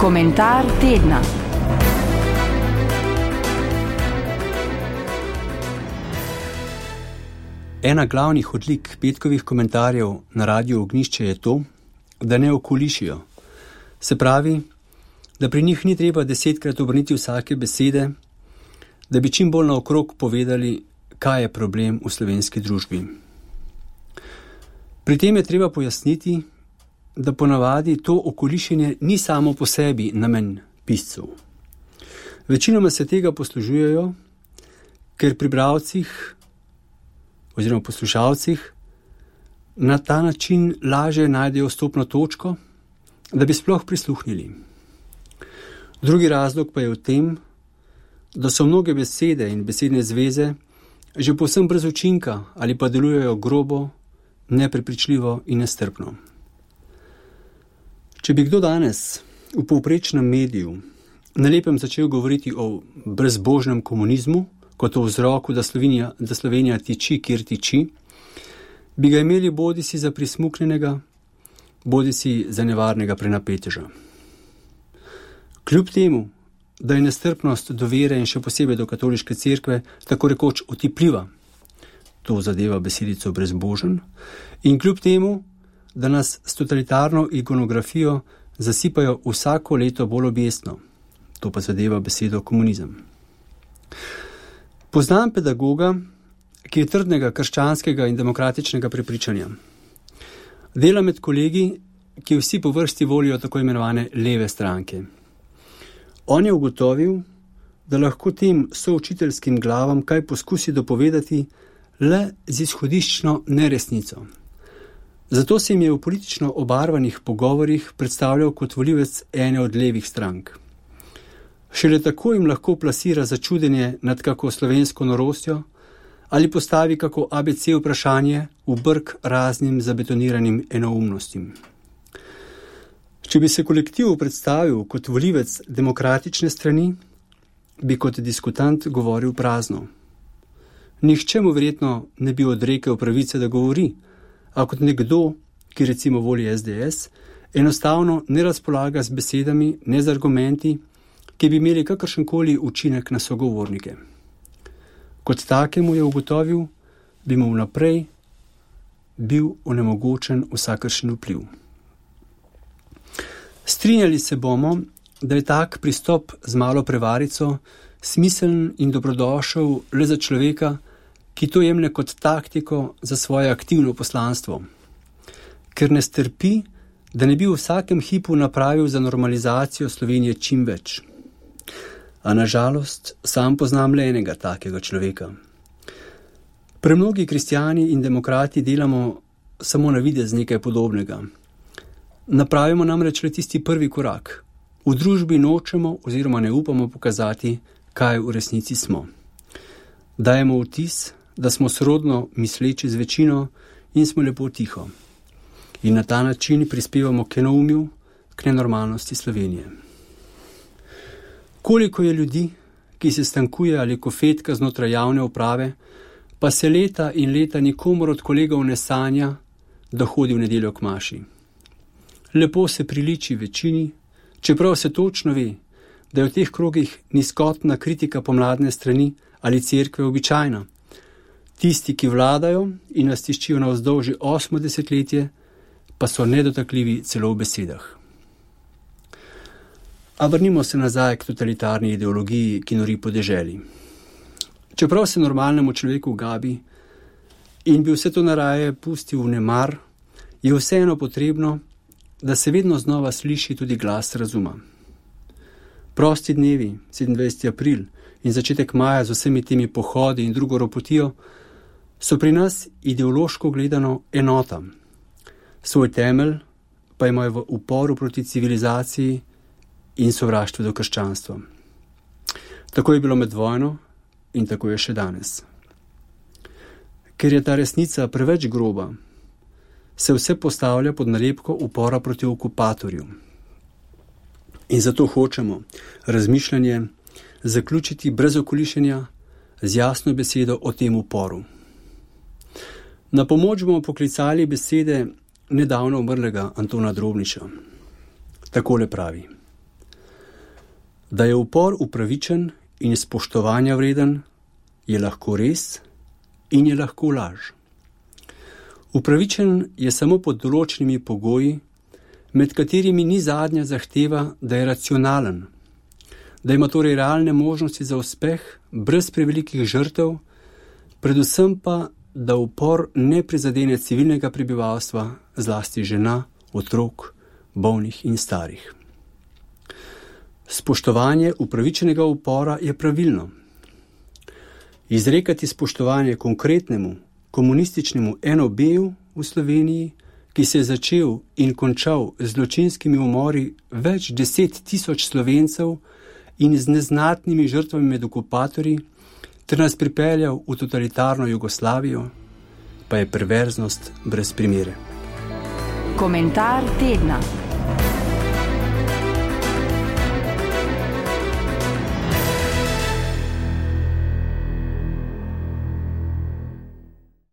Komentar tedna. Ena glavnih odlik petkovih komentarjev na Radiu Ognjišče je to, da ne okolišijo. Se pravi, da pri njih ni treba 10-krat obrniti vsake besede, da bi čim bolj naokrog povedali, kaj je problem v slovenski družbi. Pri tem je treba pojasniti, da ponavadi to okolišenje ni samo po sebi namen piscev. Večinoma se tega poslužujejo, ker pri bralcih oziroma poslušalcih na ta način lažje najdejo vstopno točko, da bi sploh prisluhnili. Drugi razlog pa je v tem, da so mnoge besede in besedne zveze že povsem brez učinka ali pa delujejo grobo, neprepričljivo in nestrpno. Če bi kdo danes v povprečnem mediju na lepem začel govoriti o brezbožnem komunizmu, kot o vzroku, da Slovenija tiči, kjer tiči, bi ga imeli bodisi za prismuknjenega, bodisi za nevarnega prenapeteža. Kljub temu, da je nestrpnost do vere in še posebej do katoliške cerkve tako rekoč otipljiva, to zadeva besedico brezbožen, in kljub temu, da nas s totalitarno ikonografijo zasipajo vsako leto bolj objestno, to pa zadeva besedo komunizem. Poznam pedagoga, ki je trdnega krščanskega in demokratičnega prepričanja. Dela med kolegi, ki vsi po vrsti volijo tako imenovane leve stranke. On je ugotovil, da lahko tem součiteljskim glavam kaj poskusi dopovedati le z izhodiščno neresnico. Zato se jim je v politično obarvanih pogovorih predstavljal kot volivec ene od levih strank. Šele tako jim lahko plasira začudenje nad kako slovensko norostjo ali postavi kako ABC vprašanje v brk raznim zabetoniranim enoumnostim. Če bi se kolektiv predstavil kot volivec demokratične strani, bi kot diskutant govoril prazno. Nihče mu verjetno ne bi odrekel pravice, da govori, a kot nekdo, ki recimo voli SDS, enostavno ne razpolaga z besedami, ne z argumenti, ki bi imeli kakršenkoli učinek na sogovornike. Kot takemu je ugotovil, bi mu vnaprej bil onemogočen vsakršen vpliv. Strinjali se bomo, da je tak pristop z malo prevarico smiseln in dobrodošel le za človeka, ki to jemlje kot taktiko za svoje aktivno poslanstvo, ker ne strpi, da ne bi v vsakem hipu napravil za normalizacijo Slovenije čim več. A nažalost, sam poznam le enega takega človeka. Premnogi kristjani in demokrati delamo samo na videz nekaj podobnega. Napravimo namreč le tisti prvi korak. V družbi nočemo oziroma ne upamo pokazati, kaj v resnici smo. Dajemo vtis, da smo sorodno misleči z večino in smo lepo tiho. In na ta način prispevamo k enoumju, k nenormalnosti Slovenije. Koliko je ljudi, ki se stankuje ali kofetka znotraj javne uprave, pa se leta in leta nikomor od kolegov ne sanja, da hodi v nedeljo k maši. Lepo se priliči večini, čeprav se točno ve, da je v teh krogih nizkotna kritika pomladne strani ali cerkve običajna. Tisti, ki vladajo in nas tiščijo navzdol že 8 desetletje, pa so nedotakljivi celo v besedah. A vrnimo se nazaj k totalitarni ideologiji, ki nori po deželi. Čeprav se normalnemu človeku gabi in bi vse to naraje pustil v nemar, je vseeno potrebno, da se vedno znova sliši tudi glas razuma. Prosti dnevi, 27. april in začetek maja z vsemi temi pohodi in drugo ropotijo, so pri nas ideološko gledano enota. Svoj temelj pa imajo v uporu proti civilizaciji in sovraštvu do krščanstva. Tako je bilo med vojno in tako je še danes. Ker je ta resnica preveč groba, se vse postavlja pod nalepko upora proti okupatorju. In zato hočemo razmišljanje zaključiti brez okolišenja z jasno besedo o tem uporu. Na pomoč bomo poklicali besede nedavno umrlega Antona Drobniča. Takole pravi: Da je upor upravičen in spoštovanja vreden, je lahko res in je lahko laž. Upravičen je samo pod določenimi pogoji, med katerimi ni zadnja zahteva, da je racionalen, da ima torej realne možnosti za uspeh brez prevelikih žrtev, predvsem pa, da upor ne prizadene civilnega prebivalstva, zlasti žena, otrok, bolnih in starih. Spoštovanje upravičenega upora je pravilno. Izrekati spoštovanje konkretnemu komunističnemu NOB-ju v Sloveniji, ki se je začel in končal z zločinskimi umori več 10 000 Slovencev in z neznatnimi žrtvami med okupatorji, ter nas pripeljal v totalitarno Jugoslavijo, pa je perverznost brez primere. Komentar tedna.